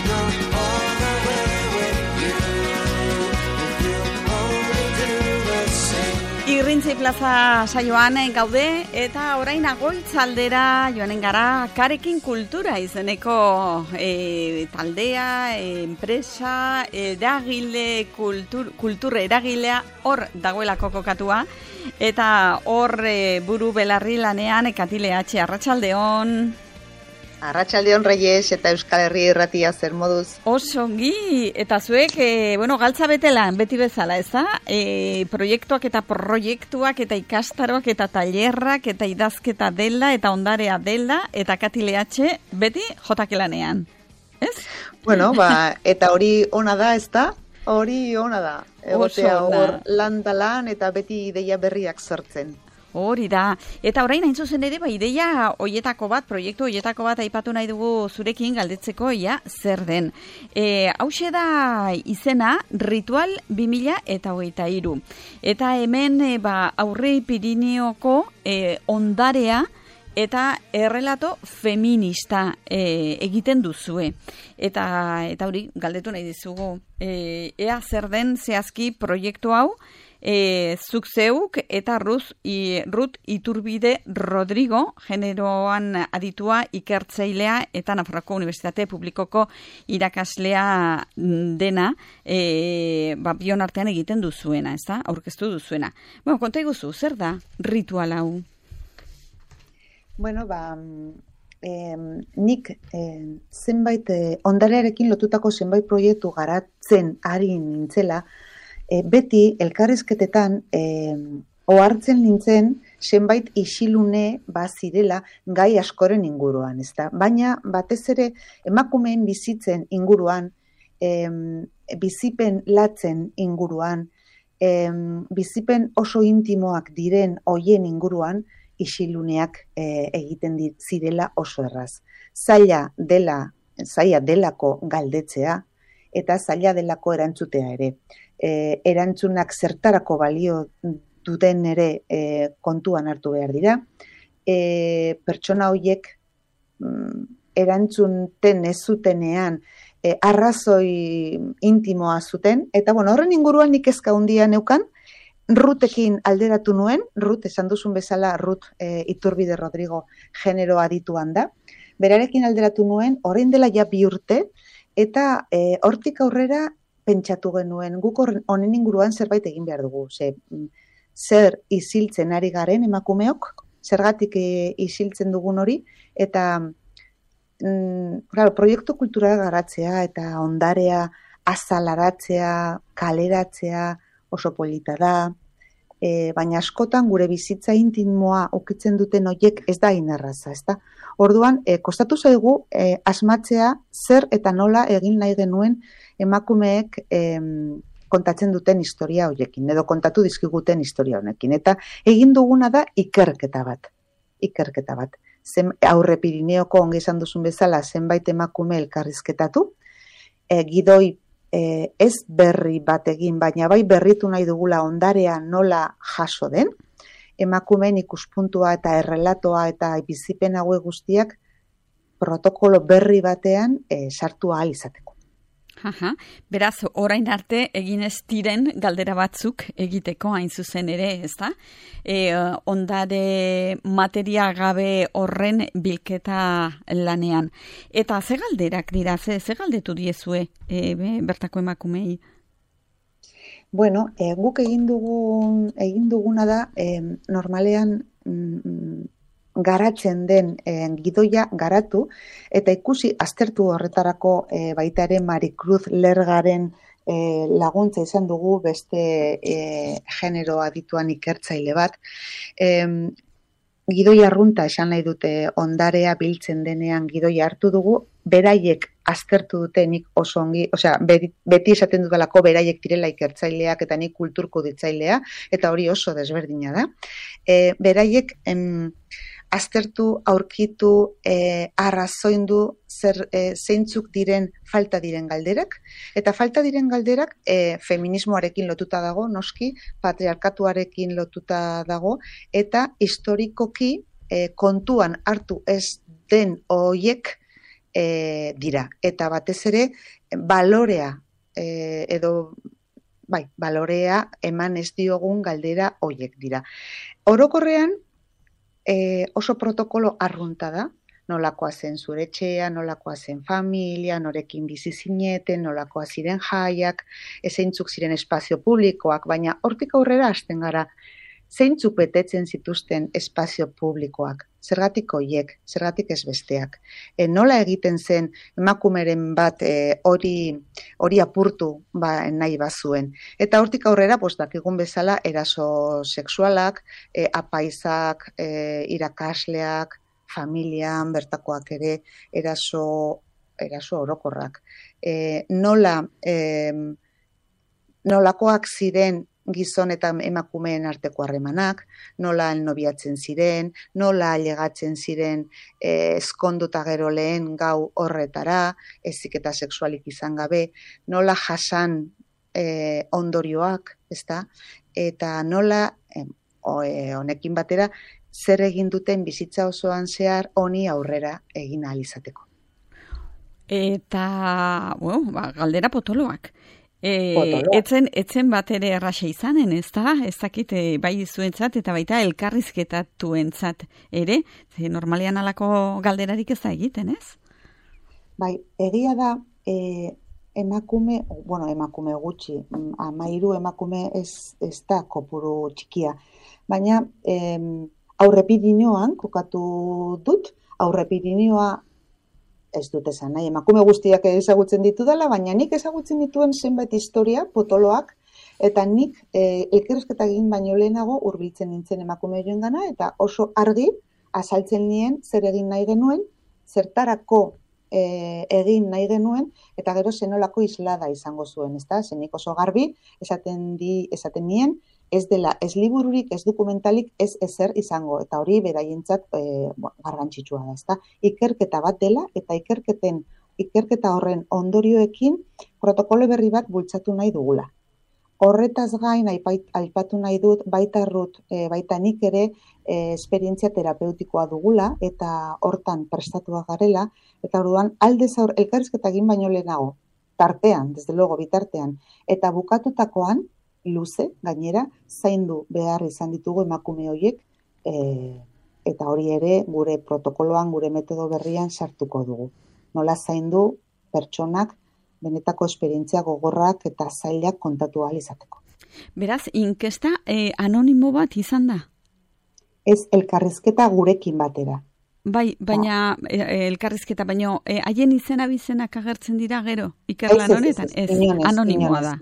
go all the way with you. If you only do the same. Irrintzi plaza saioan gaude eta orain Agoitzaldera joanen gara Karekin Kultura izeneko taldea, enpresa, eragile, kultur eragilea hor dagoelako kokatua eta hor buru belarri lanean Katile H. Arratsaldeon. Arratsaldeon Reyes eta Euskal Herri Irratia zer moduz? Osongi, eta zuek, galtza betelan, beti bezala, ez da? Proiektuak eta ikastaroak eta tailerrak eta idazketa dela eta ondarea dela eta Katile H. beti jotakelanean, ez? Bueno, eta hori ona da, ez da? Hori ona da. Egotea hor lan eta beti ideia berriak sortzen. Hori da. Eta orain hain zuzen ere, ideia hoietako bat, proiektu hoietako bat aipatu nahi dugu zurekin galdetzeko, zer den. Hauxe da izena Ritual 2023. Eta hemen Aurre Pirineoko ondarea eta errelato feminista egiten duzue. Eta hori galdetu nahi dizugu. Ea zer den zehazki proiektu hau, zuk zeuk eta Ruth Iturbide Rodrigo, generoan aditua ikertzailea eta Nafarroako Unibertsitate Publikoko irakaslea dena, bion artean egiten duzuena, ez da? Aurkeztu duzuena. Konta iguzu, zer da ritual hau? Bueno, nik zenbait ondarearekin lotutako zenbait proiektu garatzen ari nintzela, beti elkarrizketetan ohartzen nintzen zenbait isilune zirela gai askoren inguruan, ezta? Baina batez ere emakumeen bizitzen inguruan, bizipen latzen inguruan, bizipen oso intimoak diren hoien inguruan isiluneak egiten zirela oso erraz. Zaila delako galdetzea eta zaila delako erantzutea ere. Erantzunak zertarako balio duten ere kontuan hartu behar dira. Pertsona horiek erantzunten ez zutenean arrazoi intimoa zuten, eta horren inguruan nik kezka handia neukan, Rutekin alderatu nuen, Ruth esan duzun bezala, Ruth Iturbide Rodrigo genero adituan da, berarekin alderatu nuen, orain dela ja 2 urte, eta hortik aurrera pentsatu genuen, guk honen inguruan zerbait egin behar dugu. Zer isiltzen ari garen emakumeok, zergatik isiltzen dugun hori, eta proiektu kulturala garatzea eta ondarea azalaratzea, kaleratzea oso polita da, baina askotan gure bizitza intimoa ukitzen duten horiek ez da inerraza, ez da? Orduan, kostatu zaigu asmatzea zer eta nola egin nahi genuen emakumeek kontatzen duten historia horiekin, edo kontatu dizkiguten historia honekin. Eta egin duguna da ikerketa bat. Aurre Pirineoko ongi esan duzun bezala zenbait emakume elkarrizketatu, gidoi ez berri bat egin, baina bai berritu nahi dugula ondarea nola jaso den, emakumeen ikuspuntua eta errelatoa eta bizipen haue guztiak protokolo berri batean sartu ahal izateko. Beraz, orain arte egin ez diren galdera batzuk egiteko hain zuzen ere, ezta? Ondare materia gabe horren bilketa lanean. Eta ze galderak dira, ze galdetu diezue bertako emakumei? Bueno, guk egin duguna da, normalean garatzen den gidoia garatu, eta ikusi aztertu horretarako baita ere Maricruz Lergaren laguntza izan dugu beste genero adituan ikertzaile bat. Gidoia arrunta esan nahi dute ondarea biltzen denean gidoia hartu dugu, beraiek aztertu dute nik oso ongi, beti esaten dudalako beraiek direla ikertzaileak eta nik kulturko ditzailea, eta hori oso desberdina da. Beraiek aztertu, aurkitu, arrazoindu zeintzuk diren falta diren galderak, eta falta diren galderak feminismoarekin lotuta dago, noski, patriarkatuarekin lotuta dago, eta historikoki kontuan hartu ez den hoiek dira. Eta batez ere, balorea balorea eman ez diogun galdera hoiek dira. Orokorrean, oso protokolo arrunta da, nolakoa zen zure etxea, nolakoa zen familia, norekin bizi zineten, nolakoa ziren jaiak, zeintzuk ziren espazio publikoak, baina hortik aurrera hasten gara, zeintzuk betetzen zituzten espazio publikoak, zergatik hoiek, zergatik ez besteak. Nola egiten zen emakumeren bat hori apurtu nahi bazuen. Eta hortik aurrera, dakigun bezala, eraso sexualak, apaizak, irakasleak, familian, bertakoak ere, eraso orokorrak. Nolakoak ziren gizon eta emakumeen arteko harremanak, nola nobiatzen ziren, nola ailegatzen ziren ezkonduta gero lehen gau horretara, heziketa sexualik izan gabe, nola jasan ondorioak, ezta? Eta nola honekin batera zer egin duten bizitza osoan zehar honi aurrera egin ahal izateko. Eta, galdera potoloak. Etzen bat ere erraxa izanen, ez da? Ez dakit, bai zuentzat eta baita elkarrizketatuentzat ere, normalean alako galderarik ez da egiten, ez? Bai, egia da, emakume gutxi, 13 emakume ez da kopuru txikia, baina aurrepidinoan kokatu dut, aurrepidinoa ez dut esan nahi, emakume guztiak ezagutzen ditu dela, baina nik ezagutzen dituen zenbait historia, potoloak, eta nik elkarrizketa egin baino lehenago hurbiltzen nintzen emakume joengana, eta oso argi azaltzen nien zer egin nahi genuen, zertarako egin nahi genuen, eta gero zenolako islada izango zuen, ezta? Zenik oso garbi esaten nien, ez dela, ez libururik, ez dokumentalik, ez ezer izango, eta hori beraientzat garrantzitsua da, ezta? Ikerketa bat dela, eta ikerketa horren ondorioekin protokolo berri bat bultzatu nahi dugula. Horretaz gain, aipatu nahi dut, baita nik ere esperientzia terapeutikoa dugula, eta hortan prestatua garela, eta orduan aldez elkarrizketa egin baino lehenago, tartean, desde luego bitartean, eta bukatutakoan, luze, gainera, zaindu behar izan ditugu emakume horiek, eta hori ere gure protokoloan, gure metodo berrian sartuko dugu. Nola zaindu pertsonak benetako esperientzia gogorrak eta zailak kontatu ahal izateko. Beraz, inkesta anonimo bat izan da? Ez elkarrizketa gurekin batera. Bai, baina elkarrizketa, baino haien izena bizenak agertzen dira gero, ikerlan honetan? Ez, anonimoa da.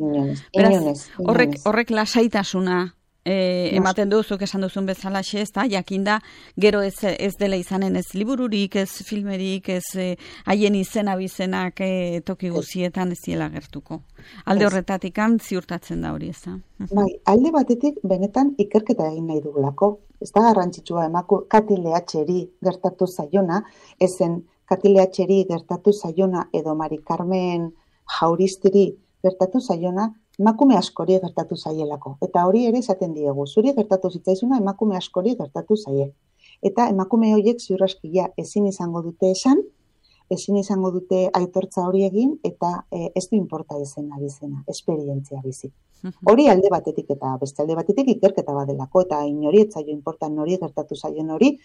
Beraz, horrek lasaitasuna ematen duzuk esan duzun bezala ez da, jakinda gero ez dela izanen ez libururik, ez filmerik, ez haien izena bizenak toki guzietan ez diela gertuko. Alde horretatik ziurtatzen da hori, ez da? Bai, alde batetik benetan ikerketa egin nahi dugulako. Ez da garrantzitsua Kati Lehatxeri gertatu zaiona, ezen Kati Lehatxeri gertatu zaiona edo Mari Carmen Jauristiri gertatu zaiona, emakume askori gertatu zaielako. Eta hori ere esaten diegu, zuri gertatu zitzaizuna emakume askori gertatu zaie. Eta emakume horiek ziur aski ezin izango dute esan, ezin izango dute aitortza hori egin, eta ez du inporta izena bizena, esperientzia bizi. Hori alde batetik eta beste alde batetik ikerketa badelako, eta inori etzaio inportan nori gertatu zaien hori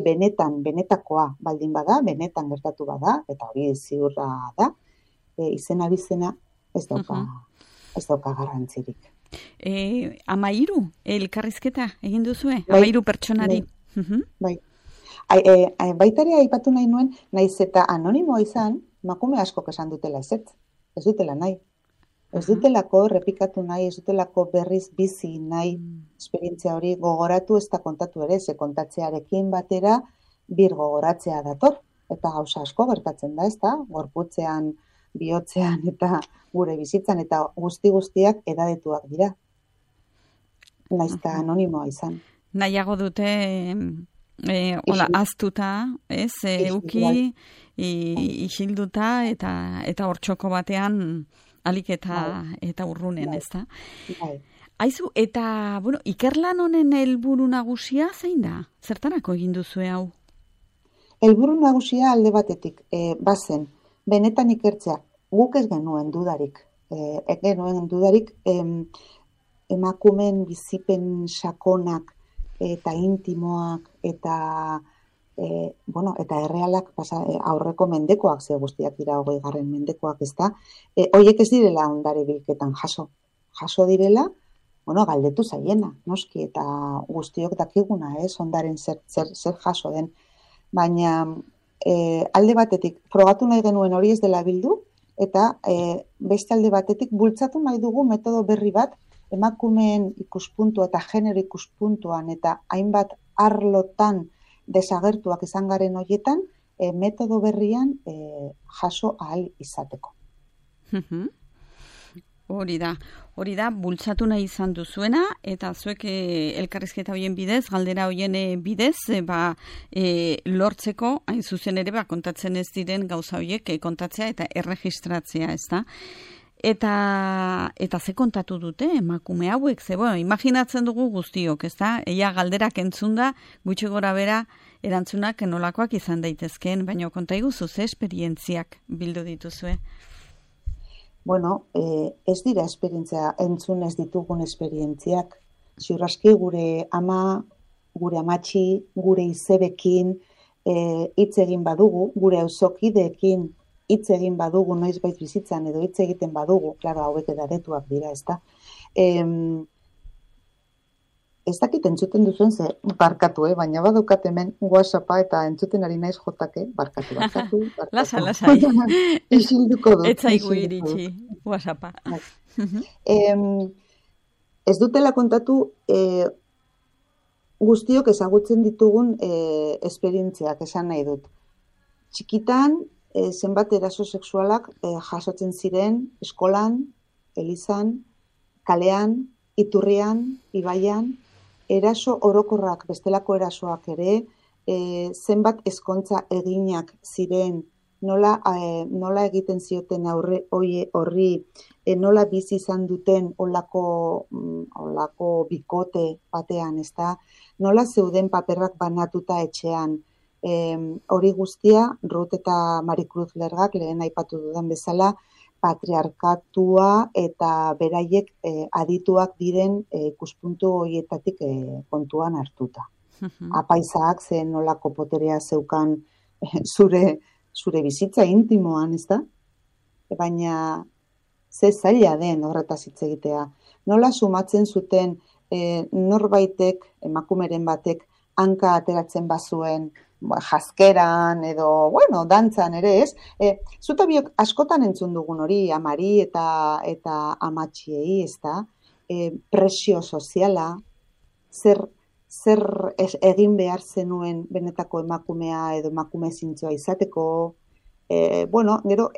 benetakoa baldin bada, benetan gertatu bada, eta hori ziurra da, izena bizena ez dauka garrantzirik. 13 elkarrizketa egin duzue? 13 pertsonari? Bai. Baitare aipatu nahi nuen, naiz eta anonimoa izan, emakume askok esan dutela ez dutela nahi. Ez dutelako errepikatu nahi, ez dutelako berriz bizi nahi esperientzia hori gogoratu ez da kontatu ere, ze kontatzearekin batera bir gogoratzea dator. Eta gauza asko gertatzen da, ez da, gorputzean, bihotzean eta gure bizitzan, eta guztiak edadetuak dira. Naiz eta anonimoa izan. Nahiago dute aztuta, ez, euki, isilduta eta hortxoko batean alik eta urrunen, ez da? Aizu, eta, ikerlan honen helburu nagusia zein da? Zertarako egin duzue hau? Helburu nagusia alde batetik bazen, benetan ikertzea, guk ez genuen dudarik, emakumeen bizipen sakonak eta intimoak eta eta errealak aurreko mendekoak, ze guztiak dira 20. mendekoak, ezta? Hoiek ez direla ondare bilketan jaso direla, galdetu zaiena, noski, eta guztiok dakiguna, ondaren zer jaso den. Baina alde batetik frogatu nahi genuen hori ez dela bildu, eta beste alde batetik bultzatu nahi dugu metodo berri bat, emakumeen ikuspuntua eta genero ikuspuntuan eta hainbat arlotan desagertuak izan garen horietan, metodo berrian jaso ahal izateko. Hori da, bultzatu nahi izan duzuena, eta zuek elkarrizketa hoien bidez, galdera hoien bidez, lortzeko, hain zuzen ere, kontatzen ez diren gauza horiek kontatzea eta erregistratzea, ez da? Eta ze kontatu dute emakume hauek, imaginatzen dugu guztiok, ez da? Eia galderak entzunda, gutxi gora bera, erantzunak nolakoak izan daitezkeen, baina konta iguzu, ze esperientziak bildu dituzue? Ez dira esperientzia, entzun ez ditugun esperientziak. Ziurraski gure ama, gure amatxi, gure izebekin hitz egin badugu, gure auzokideekin hitz egin badugu, noizbait bizitzan edo hitz egiten badugu, klaro, hauek edadetuak dira, ezta? Ez dakit entzuten duzuen ze barkatu, baina badukat hemen WhatsAppa eta entzuten ari naiz jotake, barkatu. Lasai. Isilduko dut. Ez zaigu iritsi WhatsAppa. Ez dutela kontatu guztiok ezagutzen ditugun esperientziak, esan nahi dut. Txikitan, zenbat eraso sexualak jasotzen ziren eskolan, elizan, kalean, iturrian, ibaian, eraso orokorrak, bestelako erasoak ere, zenbat ezkontza eginak ziren, nola egiten zioten horri, nola bizi izan duten olako bikote batean, ezta? Nola zeuden paperrak banatuta etxean. Hori guztia, Ruth eta Maricruz Lergak lehen aipatu dudan bezala, patriarkatua eta beraiek adituak diren ikuspuntu horietatik kontuan hartuta. Apaizak zen nolako poterea zeukan zure bizitza intimoan, ez da? Baina ze zaila den horretaz hitz egitea. Nola sumatzen zuten norbaitek, emakumeren batek, hanka ateratzen bazuen, jazkeran edo, dantzan ere ez. Zuta biok askotan entzun dugun hori, amari eta amatxiei, ez da? Presio soziala, zer egin behar zenuen benetako emakumea edo emakume zintzoa izateko. Gero,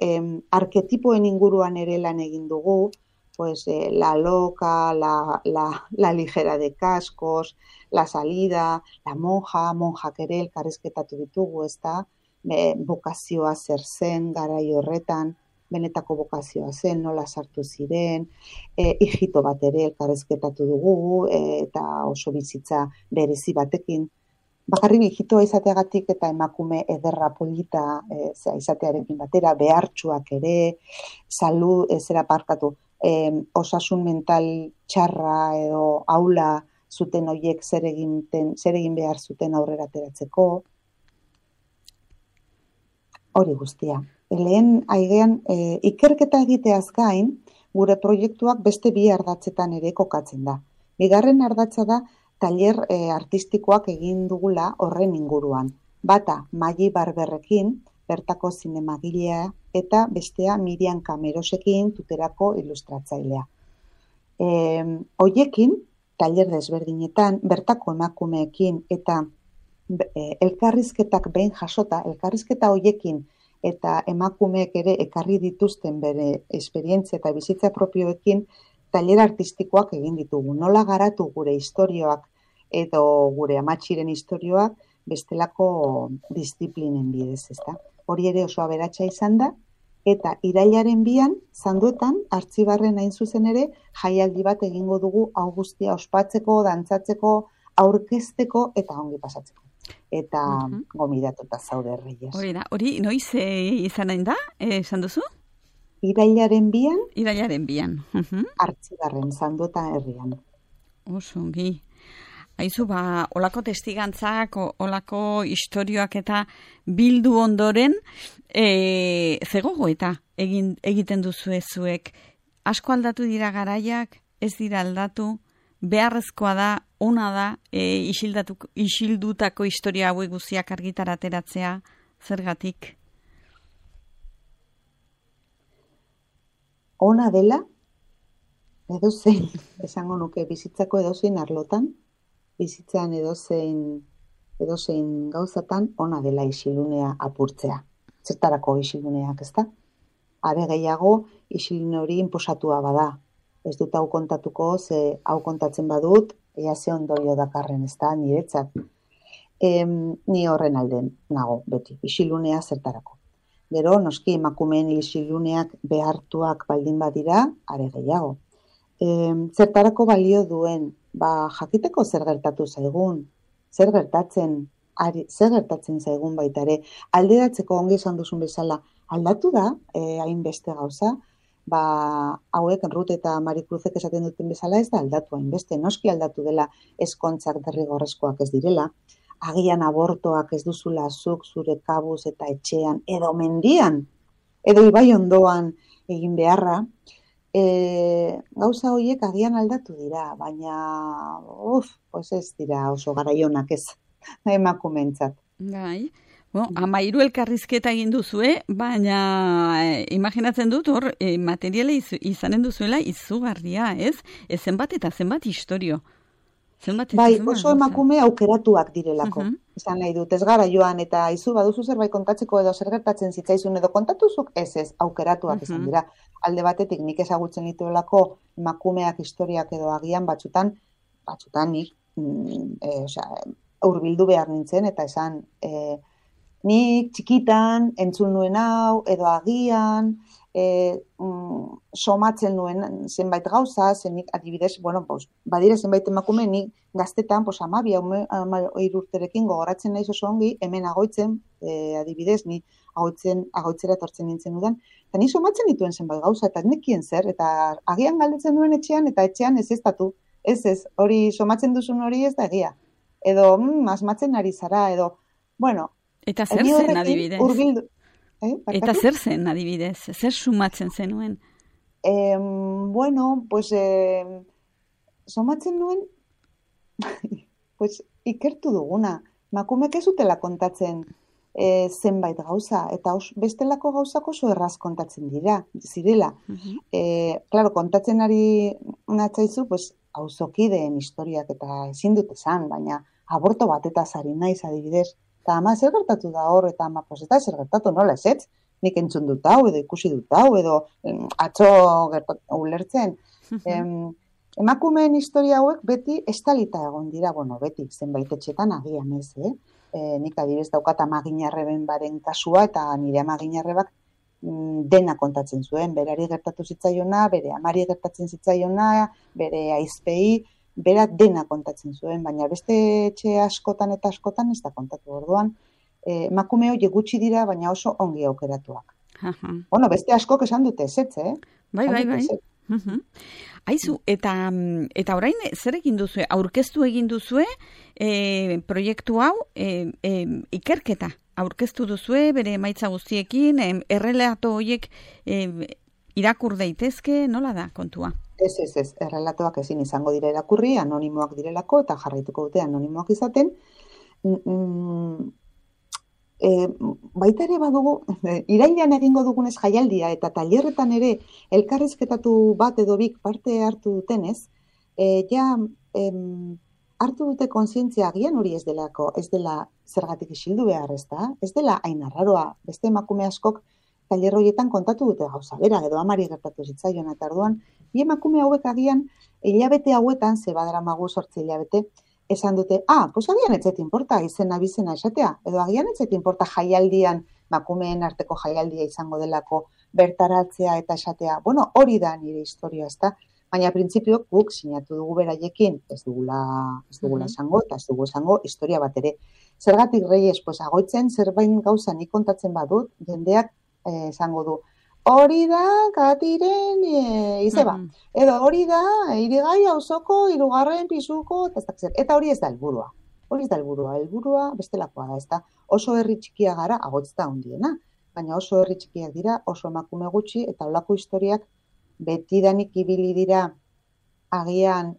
arketipoen inguruan ere lan egin dugu, la loca, la ligera de cascos, la salida, la monjak ere elkarrizketatu ditugu, ezta? Bokazioa zer zen, garai horretan, benetako bokazioa zen, nola sartu ziren, hijito bat ere elkarrizketatu dugu, eta oso bizitza berezi batekin. Bakarrik hijitoa izateagatik eta emakume ederra polita izatearekin batera, behartsuak ere, osasun mental txarra edo aula zuten horiek zer egin behar zuten aurrera ateratzeko. Hori guztia. Lehen aigean ikerketa egiteaz gain, gure proiektuak beste bi ardatzetan ere kokatzen da. Bigarren ardatza da tailer artistikoak egin dugula horren inguruan. Bata Magi Barberrekin, bertako zinemagilea, eta bestea Miriam Camerosekin, Tuterako ilustratzailea. Hoiekin, tailer desberdinetan, bertako emakumeekin eta elkarrizketak behin jasota, elkarrizketa hoiekin eta emakumeek ere ekarri dituzten bere esperientzia eta bizitza propioekin tailer artistikoak egin ditugu. Nola garatu gure istorioak edo gure amatxiren istorioak bestelako disiplinen bidez, ezta? Hori ere oso aberatsa izan da, eta irailaren 2 Zanduetan, Artzibarren hain zuzen ere, jaialdi bat egingo dugu hau guztia ospatzeko, dantzatzeko, aurkezteko eta ongi pasatzeko. eta gomidatuta zaude Reyes. Hori noiz izanen da, esan duzu? Irailaren 2an, Irailaren 2an. Artzibarren, Sandueta herrian. Oso ongi. Aizu, olako testigantzak, olako istorioak eta bildu ondoren, zegogo eta egiten duzu zuek. Asko aldatu dira garaiak, ez dira aldatu, beharrezkoa da, ona da, isildutako historia hauek guztiak argitarateratzea, zergatik? Ona dela, edozein, esango nuke, bizitzako edozein arlotan, bizitzan edozein gauzatan, ona dela isilunea apurtzea. Zertarako isiluneak, ezta? Are gehiago, isilune hori inposatua bada. Ez dut hau kontatuko, ze hau kontatzen badut, ea ze ondorio dakarren, ezta, niretzat. Ni horren alden nago, beti, isilunea zertarako. Gero, noski, emakumeen isiluneak behartuak baldin badira, are gehiago. Zertarako balio duen, jakiteko zer gertatu zaigun, zer gertatzen zaigun baita ere, alderatzeko ongi esan duzun bezala, aldatu da, hainbeste gauza, hauek Ruth eta Marikruzek esaten duten bezala ez da aldatu hainbeste, noski aldatu dela ezkontzak derrigorrezkoak ez direla, agian abortoak ez duzula zuk zure kabuz eta etxean, edo mendian, edo ibai ondoan egin beharra, gauza horiek agian aldatu dira, baina pues ez dira oso garaionak ez emakumentzat. Bai. 13 elkarrizketa egin duzue, baina imaginatzen dut hor materiala izanen duzuela izugarria, ez? Zenbat eta zenbat istorio. Bai, oso emakume aukeratuak direlako. Esan nahi dut, ez gara joan eta izu baduzu zerbait kontatzeko edo zer gertatzen zitzaizun edo kontatuzuk, ez, aukeratuak izan dira. Alde batetik nik ezagutzen dituelako emakumeak historiak edo agian batzutan nik hurbildu behar nintzen eta esan nik txikitan entzun nuen hau edo agian somatzen nuen zenbait gauza, zenik adibidez, badire zenbait emakume nik gaztetan, 12 urterekin gogoratzen naiz oso ongi, hemen agoitzen, adibidez, ni agoitzera etortzen nintzen udan, eta ni somatzen dituen zenbait gauza, eta nekien zer, eta agian galdetzen duen etxean, eta etxean ez estatu, ez, hori somatzen duzun hori ez da egia. Edo, asmatzen ari zara, edo, eta zer zen adibidez? Eta zer zen adibidez? Zer sumatzen zenuen? Somatzen nuen, ikertu duguna. Makumek ez utela kontatzen zenbait gauza, eta bestelako gauzak oso erraz kontatzen zirela. Claro, kontatzen ari natzaizu, auzokideen historiak eta ezin dut esan, baina aborto bat eta zari naiz adibidez. Eta ama zer gertatu da hor, eta ama eta zer gertatu nola ez, nik entzun dut hau, edo ikusi dut hau, edo atzo ulertzen. Emakumeen historia hauek beti estalita egon dira, beti, zenbait etxetan agian ez, nik adibidez daukat Amaginarreben baren kasua, eta nire Amaginarrebak dena kontatzen zuen, berari gertatu zitzaiona, bere amari gertatzen zitzaiona, bere aizpei, bera dena kontatzen zuen, baina beste etxe askotan eta askotan ez da kontatu orduan. Emakume horiek gutxi dira, baina oso ongi aukeratuak. Beste askok esan dute ezetz, Bai. Aizu, eta orain zer egin duzue? Aurkeztu egin duzue proiektu hau ikerketa. Aurkeztu duzue bere emaitza guztiekin, errelato horiek irakur daitezke, nola da kontua? Ez, errelatoak ezin izango dira irakurri, anonimoak direlako, eta jarraituko dute anonimoak izaten. Baita ere badugu, irailean egingo dugunez jaialdia, eta tailerretan ere elkarrizketatu bat edo bik parte hartu dutenez, hartu dute kontzientzia agian hori ez dela zergatik isildu behar, ez dela hain arraroa, beste emakume askok tailer horietan kontatu dute gauza bera, edo amari gertatu zitzaion, eta orduan, bi emakume hauek agian, hilabete hauetan, ze badaramagu 8 hilabete, esan dute, agian etzet inporta izena bizena esatea, edo agian etzet inporta jaialdian, emakumeen arteko jaialdia izango delako bertaratzea eta esatea, hori da nire historia, ezta? Baina printzipio guk sinatu dugu beraiekin, ez dugula esango, eta ez dugu esango historia bat ere. Zergatik Reyes, pues agoitzen zerbait gauza nik kontatzen badut, jendeak esango du, hori da Katiren izeba. Edo hori da Irigai auzoko 3. pisuko, eta hori ez da helburua. Hori ez da helburua bestelakoa da, ezta? Oso herri txikia gara, agotz da handiena, baina oso herri txikiak dira, oso emakume gutxi, eta holako historiak betidanik ibili dira agian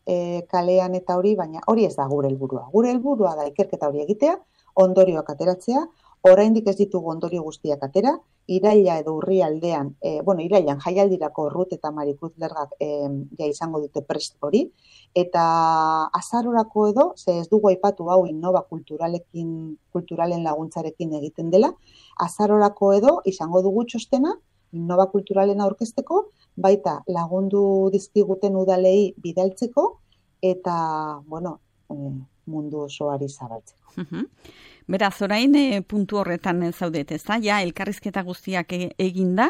kalean eta hori, baina hori ez da gure helburua. Gure helburua da ikerketa hori egitea, ondorioak ateratzea, oraindik ez ditugu ondorio guztiak atera, iraila edo urrialdean, irailan jaialdirako Rut eta Maricruz Lergak ja izango dute prest hori, eta azarorako edo, ze ez dugu aipatu hau Innova kulturalen laguntzarekin egiten dela, azarorako edo izango dugu txostena, Innova kulturalen aurkezteko, baita lagundu dizkiguten udalei bidaltzeko, eta, mundu osoari zabaltzeko. Beraz, orain puntu horretan zaudet, ezta? Ja, elkarrizketa guztiak eginda,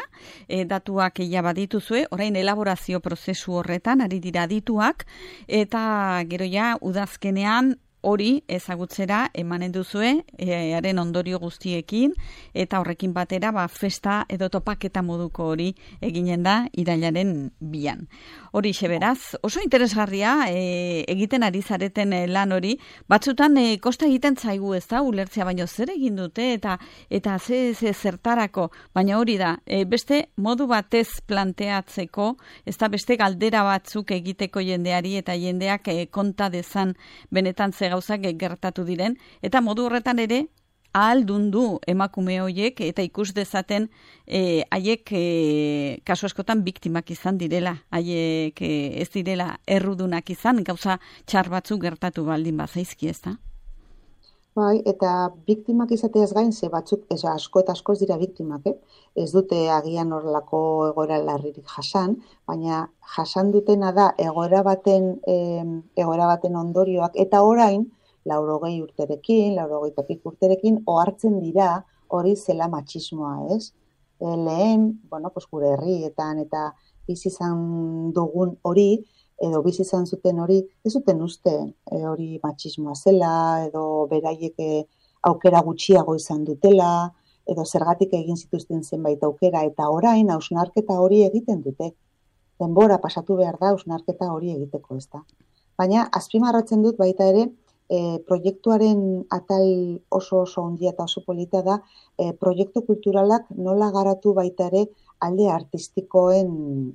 datuak ja badituzue, orain elaborazio prozesu horretan ari dira adituak, eta gero ja, udazkenean hori ezagutzera emanen duzue, haren ondorio guztiekin, eta horrekin batera festa edo topaketa moduko hori eginen da irailaren 2. Hori beraz, oso interesgarria egiten ari zareten lan hori, batzutan kosta egiten zaigu ez da, ulertzea baino zer egin dute, eta ze zertarako, baina hori da, beste modu batez planteatzeko, ez da beste galdera batzuk egiteko jendeari, eta jendeak konta dezan benetan ze gauzak gertatu diren, eta modu horretan ere ahaldundu emakume horiek eta ikus dezaten haiek kasu askotan biktimak izan direla, haiek ez direla errudunak izan, gauza txar batzuk gertatu baldin bazaizki, ezta? Bai, eta biktimak izateaz gain, ze batzuk, asko eta asko ez dira biktimak, ez dute agian horrelako egoera larririk jasan, baina jasan dutena da egoera baten ondorioak, eta orain, 80 urterekin, 80 urterekin, ohartzen dira hori zela matxismoa, ez? Lehen, gure herrietan eta bizi izan dugun hori, edo bizi izan zuten hori, ez zuten uste hori matxismoa zela, edo beraiek aukera gutxiago izan dutela, edo zergatik egin zituzten zenbait aukera, eta orain hausnarketa hori egiten dute. Denbora pasatu behar da hausnarketa hori egiteko, ez da. Baina, azpimarratzen dut baita ere, proiektuaren atal oso handia eta oso polita da, proiektu kulturalak nola garatu baita ere alde artistikoekin,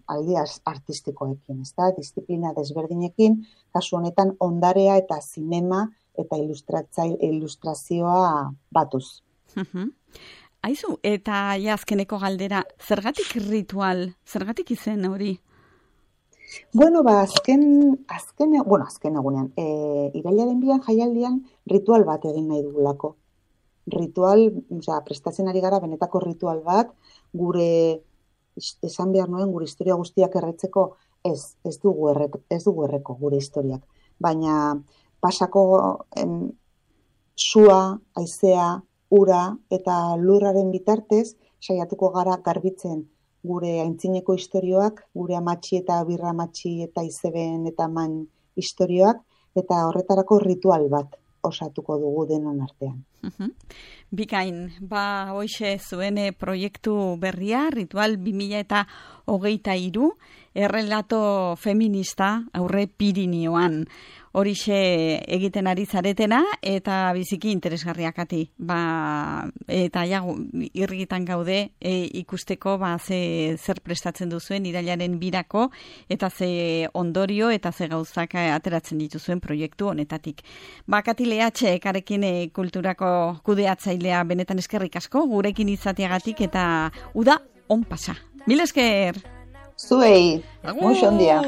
ezta? Disiplina desberdinekin, kasu honetan ondarea eta zinema eta ilustrazioa batuz. Aizu, eta azkeneko galdera, zergatik ritual, zergatik izen hori? Azken egunean, irailaren 2 jaialdian ritual bat egin nahi dugulako. Ritual, prestatzen ari gara benetako ritual bat, gure, esan behar nuen, gure historia guztiak erretzeko, ez dugu erreko gure historiak. Baina pasako sua, haizea, ura eta lurraren bitartez, saiatuko gara garbitzen gure aintzineko istorioak, gure amatxi eta birra amatxi eta izeben eta man istorioak, eta horretarako ritual bat osatuko dugu denon artean. Bikain, hoxe zuen proiektu berria, Ritual 2023, errelato feminista aurre Pirinioan. Horixe egiten ari zaretena, eta biziki interesgarriakati. Eta irrigitan gaude ikusteko zer prestatzen duzuen irailaren 2, eta ze ondorio eta ze gauzak ateratzen dituzuen proiektu honetatik. Kati Leatxe, Karekin kulturako kudeatzailea, benetan eskerrik asko, gurekin izateagatik, eta uda on pasa. Mil esker! Zuei, muixo ondia.